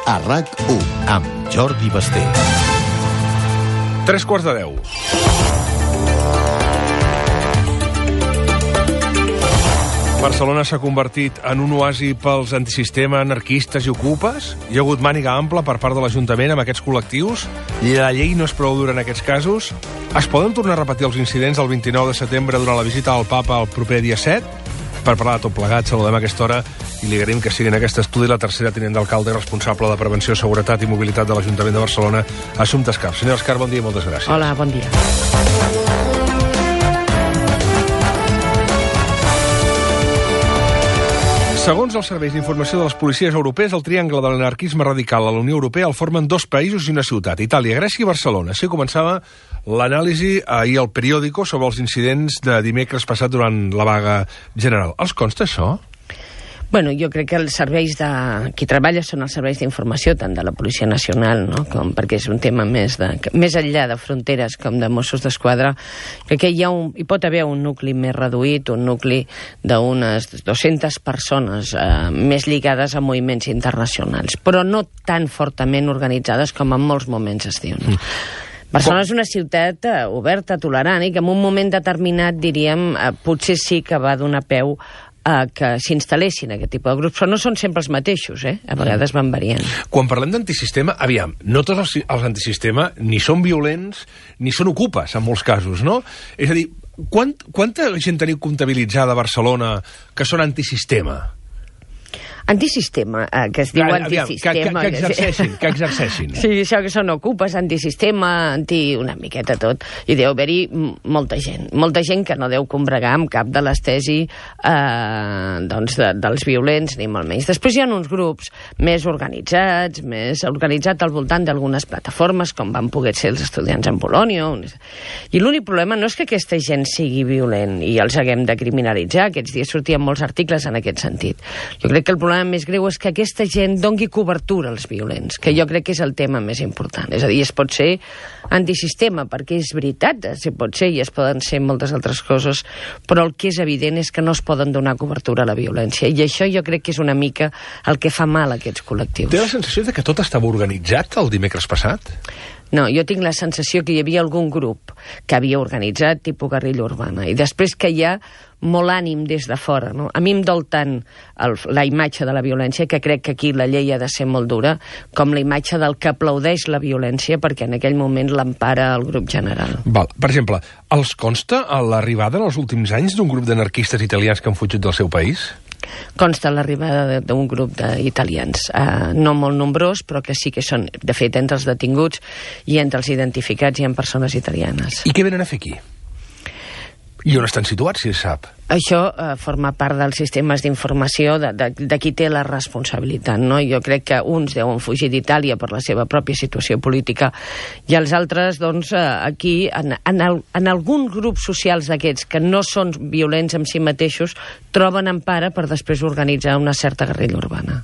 a RAC1, amb Jordi Basté. 9:45. Barcelona s'ha convertit en un oasi pels antisistema, anarquistes i ocupes. Hi ha hagut màniga ampla per part de l'Ajuntament amb aquests col·lectius. La llei no és prou dura en aquests casos. Es poden tornar a repetir els incidents el 29 de setembre durant la visita al papa el proper dia 7? Per parlar de tot plegat, saludem a aquesta hora i li agraïm que sigui en aquest estudi la tercera tinent d'alcalde i responsable de Prevenció, Seguretat i Mobilitat de l'Ajuntament de Barcelona, Assumpta Escarp. Senyora Escarp, bon dia i moltes gràcies. Hola, bon dia. Segons els serveis d'informació de les policies europees, el triangle de l'anarquisme radical a la Unió Europea el formen 2 països i una ciutat, Itàlia, Grècia i Barcelona. Així començava l'anàlisi ahir al periòdico sobre els incidents de dimecres passat durant la vaga general. Els consta això? Bueno, jo crec que els serveis de... Qui treballa són els serveis d'informació, tant de la Policia Nacional, no? Perquè és un tema més enllà de fronteres com de Mossos d'Esquadra. Crec que hi pot haver un nucli més reduït, un nucli d'unes 200 persones més lligades a moviments internacionals, però no tan fortament organitzades com en molts moments es diu. No? Barcelona és una ciutat oberta, tolerant, i que en un moment determinat, diríem, potser sí que va donar peu que s'instal·lessin aquest tipus de grups, però no són sempre els mateixos, a vegades van variant. Quan parlem d'antisistema, aviam, no tots els antisistema ni són violents ni són ocupes, en molts casos, no? És a dir, quanta gent teniu comptabilitzada a Barcelona que són antisistema? Antisistema, que es diu antisistema. Que exerceixin. Sí, això que són ocupes, antisistema, una miqueta tot. I deu haver-hi molta gent que no deu combregar amb cap de les tesis dels violents, ni molt menys. Després hi ha uns grups més organitzats al voltant d'algunes plataformes, com van poder ser els estudiants en Polònia. I l'únic problema no és que aquesta gent sigui violent i els haguem de criminalitzar. Aquests dies sortien molts articles en aquest sentit. Jo crec que el problema més greu és que aquesta gent doni cobertura als violents, que jo crec que és el tema més important. És a dir, es pot ser antisistema, perquè és veritat, es pot ser i es poden ser moltes altres coses, però el que és evident és que no es poden donar cobertura a la violència, i això jo crec que és una mica el que fa mal a aquests col·lectius. Té la sensació de que tot estava organitzat el dimecres passat? No, jo tinc la sensació que hi havia algun grup que havia organitzat tipus guerrilla urbana, i després que hi ha molt ànim des de fora, no? A mi em dol tant la imatge de la violència, que crec que aquí la llei ha de ser molt dura, com la imatge del que aplaudeix la violència perquè en aquell moment l'empara el grup general. Val. Per exemple, els consta l'arribada en els últims anys d'un grup d'anarquistes italians que han fugit del seu país? Consta l'arribada d'un grup d'italians, no molt nombrós, però que sí que són, de fet, entre els detinguts i entre els identificats hi ha persones italianes. I què venen a fer aquí? I on estan situats, si es sap? Això forma part dels sistemes d'informació de qui té la responsabilitat, no? Jo crec que uns deuen fugir d'Itàlia per la seva pròpia situació política i els altres, doncs, aquí, en alguns grups socials d'aquests que no són violents en si mateixos, troben empara per després organitzar una certa guerrilla urbana.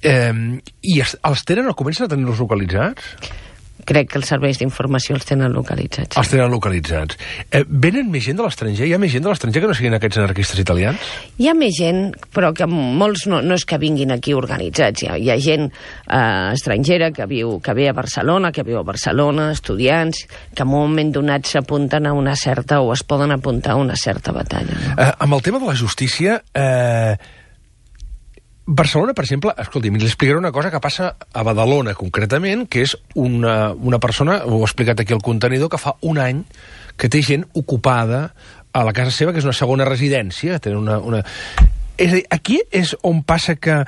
I els tenen o comencen a tenir-los localitzats? Crec que els serveis d'informació els tenen localitzats. Els tenen localitzats. Venen més gent de l'estranger? Hi ha més gent de l'estranger que no siguin aquests anarquistes italians? Hi ha més gent, però que molts no és que vinguin aquí organitzats. Hi ha gent estrangera que ve a Barcelona, estudiants, que en un moment donat s'apunten a una certa, o es poden apuntar a una certa batalla. Amb el tema de la justícia... Barcelona, per exemple, escolti, li explicaré una cosa que passa a Badalona, concretament, que és una persona, ho ha explicat aquí el contenidor, que fa un any que té gent ocupada a la casa seva, que és una segona residència. És a dir, aquí és on passa que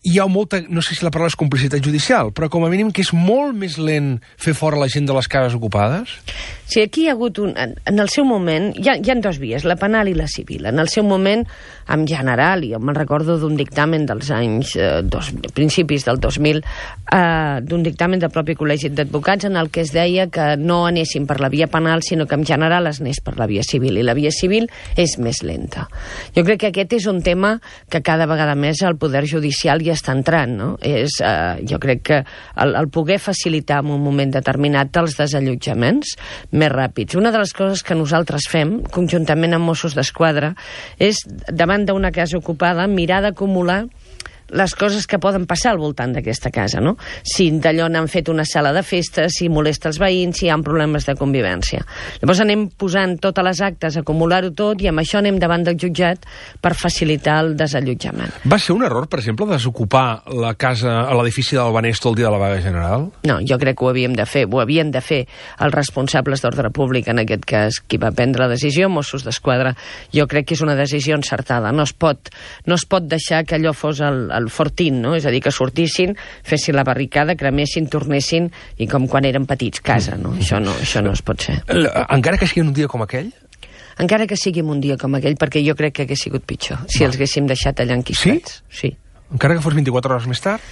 hi ha molta, no sé si la paraula és complicitat judicial, però com a mínim que és molt més lent fer fora la gent de les cases ocupades? Sí, aquí hi ha hagut en el seu moment, hi ha 2 vies, la penal i la civil. En el seu moment, en general, i jo me'n recordo d'un dictamen dels anys, principis del 2000, d'un dictamen del propi Col·legi d'Advocats en el que es deia que no anessin per la via penal, sinó que en general es anés per la via civil, i la via civil és més lenta. Jo crec que aquest és un tema que cada vegada més el Poder Judicial hi està entrant, no? Jo crec que el poder facilitar en un moment determinat els desallotjaments més ràpids. Una de les coses que nosaltres fem, conjuntament amb Mossos d'Esquadra, és, davant d'una casa ocupada, mirar d'acumular les coses que poden passar al voltant d'aquesta casa, no? Si d'allò n'han fet una sala de festes, si molesta els veïns, si hi ha problemes de convivència. Llavors anem posant totes les actes, acumular-ho tot, i amb això anem davant del jutjat per facilitar el desallotjament. Va ser un error, per exemple, desocupar la casa a l'edifici del Banesto el dia de la vaga general? No, jo crec que ho havien de fer. Ho havien de fer els responsables d'ordre públic, en aquest cas, qui va prendre la decisió, Mossos d'Esquadra. Jo crec que és una decisió encertada. No es pot deixar que allò fos el fortín, no? És a dir, que sortissin, fessin la barricada, cremessin, tornessin, i com quan eren petits, casa, no? Això no es pot ser. Encara que sigui un dia com aquell? Encara que sigui un dia com aquell, perquè jo crec que hagués sigut pitjor, si els haguéssim deixat allà enquistats. Sí? Encara que fos 24 hores més tard?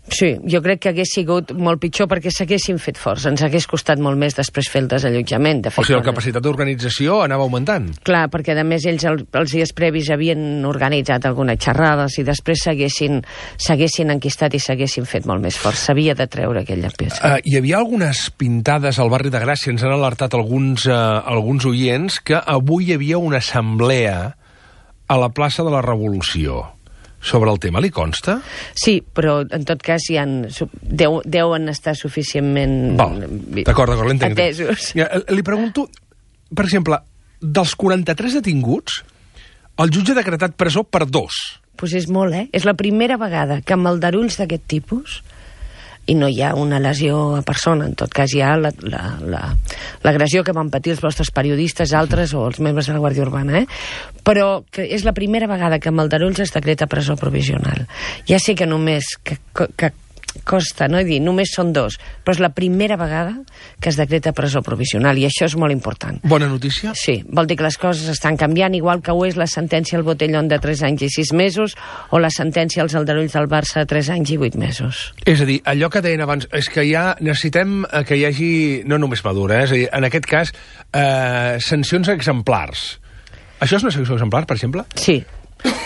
Sí, jo crec que hagués sigut molt pitjor perquè s'haguessin fet forts. Ens hagués costat molt més després fer el desallotjament. De fet, o sigui, la capacitat d'organització anava augmentant. Clar, perquè a més ells els dies previs havien organitzat algunes xerrades i després s'haguessin enquistat i s'haguessin fet molt més forts. S'havia de treure aquella peça. Hi havia algunes pintades al barri de Gràcia, ens han alertat alguns oients, que avui hi havia una assemblea a la plaça de la Revolució. Sobre el tema li consta? Sí, però en tot cas deuen estar suficientment d'acord, l'entenc. Atesos. Li pregunto, per exemple, dels 43 detinguts, el jutge ha decretat presó per 2. Doncs és molt, És la primera vegada que amb aldarulls d'aquest tipus, i no hi ha una lesió a persona, en tot cas hi ha l'agressió que van patir els vostres periodistes, altres, o els membres de la Guàrdia Urbana, però que és la primera vegada que amb aldarulls es decreta presó provisional. Ja sé que només que costa, no? Dir, només són 2, però és la primera vegada que es decreta presó provisional, i això és molt important. Bona notícia? Sí, vol dir que les coses estan canviant, igual que ho és la sentència al Botellón de 3 anys i 6 mesos, o la sentència als aldarulls del Barça de 3 anys i 8 mesos. És a dir, allò que deien abans, és que ja necessitem que hi hagi, no només madura, és a dir, en aquest cas, sancions exemplars. Això és una sanció exemplar, per exemple? Sí.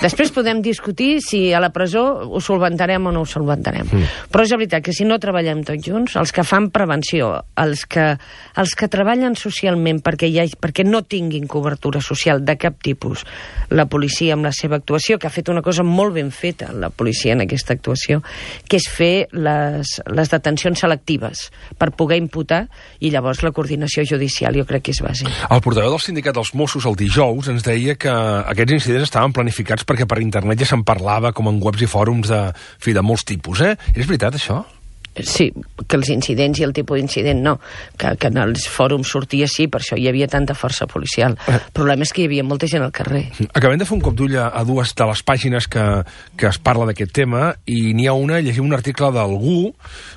Després podem discutir si a la presó ho solventarem o no ho solventarem. Però és veritat que si no treballem tots junts, els que fan prevenció, els que treballen socialment perquè no tinguin cobertura social de cap tipus, la policia amb la seva actuació, que ha fet una cosa molt ben feta, la policia en aquesta actuació, que és fer les detencions selectives per poder imputar, i llavors la coordinació judicial jo crec que és bàsic. El portaveu del sindicat dels Mossos el dijous ens deia que aquests incidents estaven planificats perquè per internet ja se'n parlava com en webs i fòrums de molts tipus, És veritat, això? Sí, que els incidents i el tipus d'incident no, que en els fòrums sortia sí, per això hi havia tanta força policial. El problema és que hi havia molta gent al carrer. Acabem de fer un cop d'ull a dues de les pàgines que es parla d'aquest tema, i n'hi ha una, llegim un article d'algú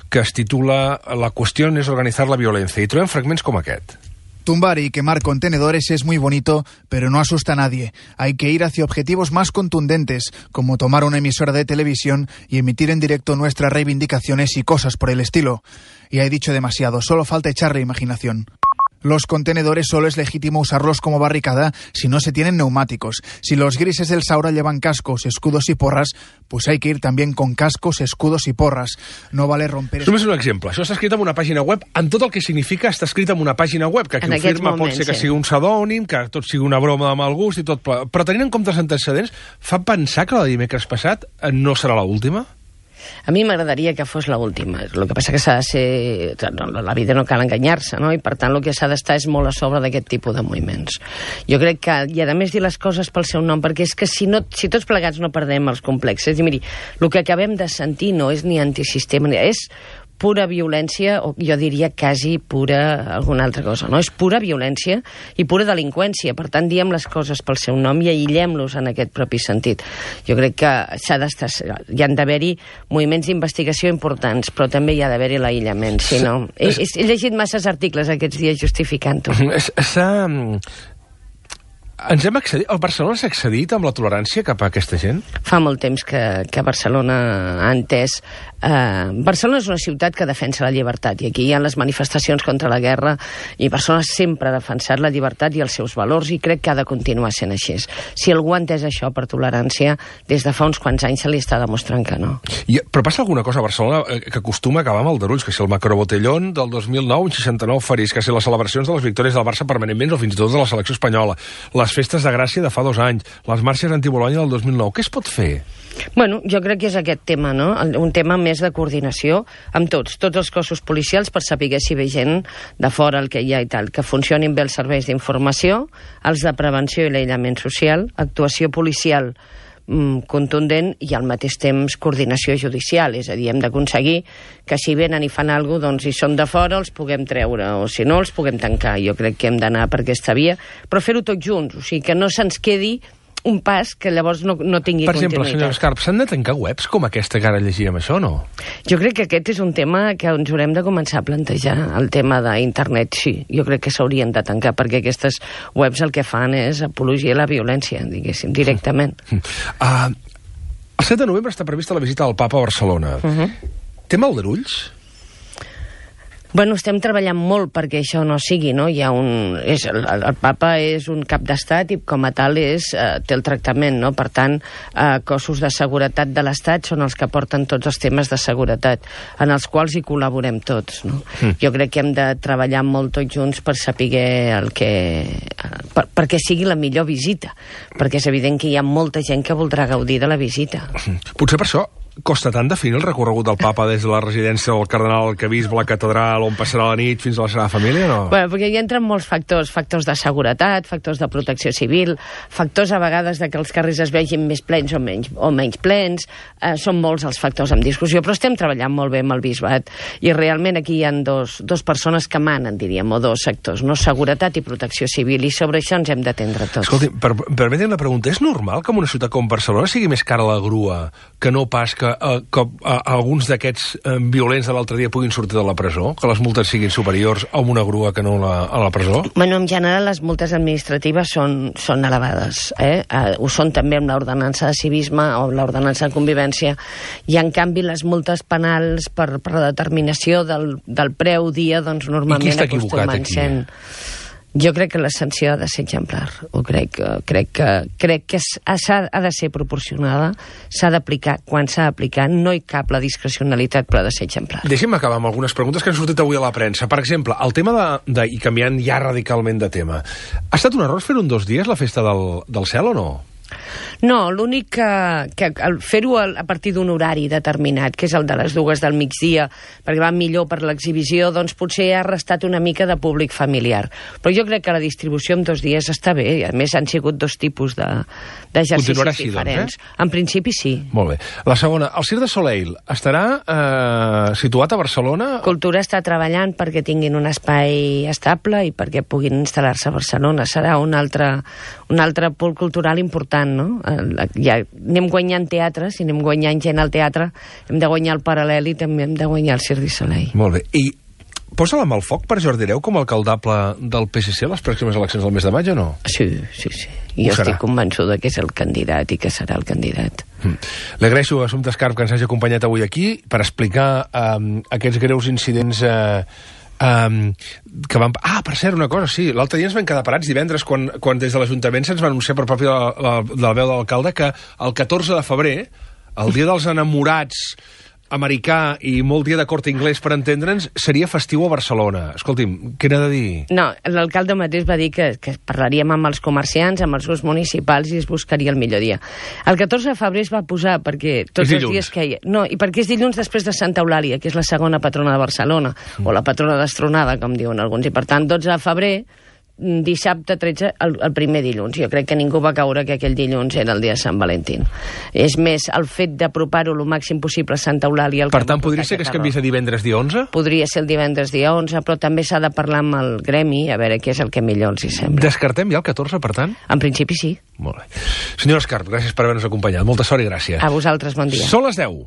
que es titula «La qüestió és organitzar la violència», i trobem fragments com aquest. Tumbar y quemar contenedores es muy bonito, pero no asusta a nadie. Hay que ir hacia objetivos más contundentes, como tomar una emisora de televisión y emitir en directo nuestras reivindicaciones y cosas por el estilo. Y he dicho demasiado, solo falta echarle imaginación. Los contenedores solo es legítimo usarlos como barricada si no se tienen neumáticos. Si los grises del Saura llevan cascos, escudos y porras, pues hay que ir también con cascos, escudos y porras. No vale romper... Només un exemple. Això està escrit en una pàgina web, en tot el que significa està escrit en una pàgina web, que qui ho firma pot ser que sigui un pseudònim, que tot sigui una broma de mal gust i tot... Però tenint en compte els antecedents, fa pensar que la de dimecres passat no serà l'última? A mi m'agradaria que fos l'última. El que passa que s'ha de ser... La vida no cal enganyar-se, no? I per tant el que s'ha d'estar és molt a sobre d'aquest tipus de moviments. Jo crec que, i a més dir les coses pel seu nom, perquè és que si tots plegats no perdem els complexes, i miri, el que acabem de sentir no és ni antisistema, és pura violència, o jo diria quasi pura alguna altra cosa, no? És pura violència i pura delinqüència. Per tant, diem les coses pel seu nom i aïllem-los en aquest propi sentit. Jo crec que hi han d'haver-hi moviments d'investigació importants, però també hi ha d'haver-hi l'aïllament. Si no, he llegit masses articles aquests dies justificant-ho. Ens hem accedit... El Barcelona s'ha accedit amb la tolerància cap a aquesta gent? Fa molt temps que Barcelona ha entès... Barcelona és una ciutat que defensa la llibertat, i aquí hi ha les manifestacions contra la guerra, i Barcelona sempre ha defensat la llibertat i els seus valors, i crec que ha de continuar sent així. Si algú ha entès això per tolerància, des de fa uns quants anys se li està demostrant que no. Però passa alguna cosa a Barcelona que acostuma a acabar amb aldarulls, que si el Macrobotellón del 2009, 69 ferits, que si les celebracions de les victòries del Barça permanentment, o fins i tot de la selecció espanyola, les les festes de Gràcia de fa 2 anys, les marxes anti-Bologna del 2009. Què es pot fer? Bueno, jo crec que és aquest tema, no? Un tema més de coordinació amb tots els cossos policials per saber si ve gent de fora el que hi ha i tal, que funcionin bé els serveis d'informació, els de prevenció i l'aïllament social, actuació policial contundent i al mateix temps coordinació judicial, és a dir, hem d'aconseguir que si venen i fan alguna cosa, doncs si són de fora els puguem treure, o si no els puguem tancar. Jo crec que hem d'anar per aquesta via, però fer-ho tots junts, o sigui, que no se'ns quedi un pas que llavors no tingui continuïtat. Per exemple, senyor Escarp, s'han de tancar webs com aquesta que ara llegíem, això, o no? Jo crec que aquest és un tema que ens haurem de començar a plantejar, el tema d'internet, sí. Jo crec que s'haurien de tancar, perquè aquestes webs el que fan és apologia a la violència, diguéssim, directament. El 7 de novembre està prevista la visita del papa a Barcelona. Té maldarulls? Bueno, estem treballant molt perquè això no sigui, no? El papa és un cap d'estat i com a tal té el tractament, no? Per tant, cossos de seguretat de l'estat són els que porten tots els temes de seguretat, en els quals hi col·laborem tots, no? Jo crec que hem de treballar molt tots junts per saber perquè sigui la millor visita, perquè és evident que hi ha molta gent que voldrà gaudir de la visita. Potser per això costa tant definir el recorregut del papa des de la residència del cardenal Arquebisbe, la catedral, on passarà la nit fins a la seva família, no? Bueno, perquè hi entren molts factors de seguretat, factors de protecció civil, factors a vegades de que els carrers es vegin més plens o menys plens, són molts els factors en discussió, però estem treballant molt bé amb el bisbat, i realment aquí hi ha dos persones que manen, diríem, o 2 sectors, no? Seguretat i protecció civil, i sobre això ens hem d'atendre tots. Escolti, permetin la pregunta, és normal que en una ciutat com Barcelona sigui més cara la grua que no pas que alguns d'aquests violents de l'altre dia puguin sortir de la presó? Que les multes siguin superiors a una grua que no a la presó? Bueno, en general les multes administratives són elevades. Ho són també amb l'ordenança de civisme o l'ordenança de convivència, i en canvi les multes penals per la determinació del preu dia, doncs normalment acostumen sent... Jo crec que la sanció ha de ser exemplar. Crec que ha de ser proporcionada, s'ha d'aplicar quan s'ha d'aplicar, no hi cap la discrecionalitat, però ha de ser exemplar. Deixi'm acabar amb algunes preguntes que han sortit avui a la premsa. Per exemple, el tema i canviant ja radicalment de tema, ha estat un error fer-ho en 2 dies, la festa del cel, o no? No, l'únic que fer-ho a partir d'un horari determinat, que és el de les 2 del migdia, perquè va millor per l'exhibició, doncs potser ha restat una mica de públic familiar. Però jo crec que la distribució en 2 dies està bé, i a més han sigut 2 tipus d'exercicis així, diferents. Doncs, En principi sí. Molt bé. La segona, el Cirque du Soleil estarà situat a Barcelona? Cultura està treballant perquè tinguin un espai estable i perquè puguin instal·lar-se a Barcelona. Serà un altre pol cultural important, no? Ja anem guanyant teatre, si anem guanyant gent al teatre, hem de guanyar el Paral·lel i també hem de guanyar el Cirque du Soleil. Molt bé. I posa la mà al foc per Jordi Hereu com a alcaldable del PSC a les pròximes eleccions del mes de maig, o no? Sí. Jo estic convençuda que és el candidat i que serà el candidat. Li agraeixo a Assumpta Escarp que ens hagi acompanyat avui aquí per explicar aquests greus incidents que van... per cert, una cosa, sí, l'altre dia ens vam quedar parats divendres quan des de l'Ajuntament se'ns va anunciar per propi de la veu de l'alcalde que el 14 de febrer, el dia dels enamorats americà i molt dia de Corte Inglés, per entendre'ns, seria festiu a Barcelona. Escolti'm, què n'ha de dir? No, l'alcalde mateix va dir que parlaríem amb els comerciants, amb els grups municipals, i es buscaria el millor dia. El 14 de febrer es va posar perquè tots els dies que hi ha... No, i perquè és dilluns després de Santa Eulàlia, que és la segona patrona de Barcelona, o la patrona destronada, com diuen alguns, i per tant 12 de febrer, dissabte 13, el primer dilluns. Jo crec que ningú va caure que aquell dilluns era el dia de Sant Valentín. És més, el fet d'apropar-ho el màxim possible a Santa Eulàlia... Per tant, podria ser que es canviés a divendres dia 11? Podria ser el divendres dia 11, però també s'ha de parlar amb el gremi, a veure què és el que millor els hi sembla. Descartem ja el 14, per tant? En principi sí. Molt bé. Senyora Escarp, gràcies per haver-nos acompanyat. Molta sort i gràcia. A vosaltres, bon dia. Són les 10.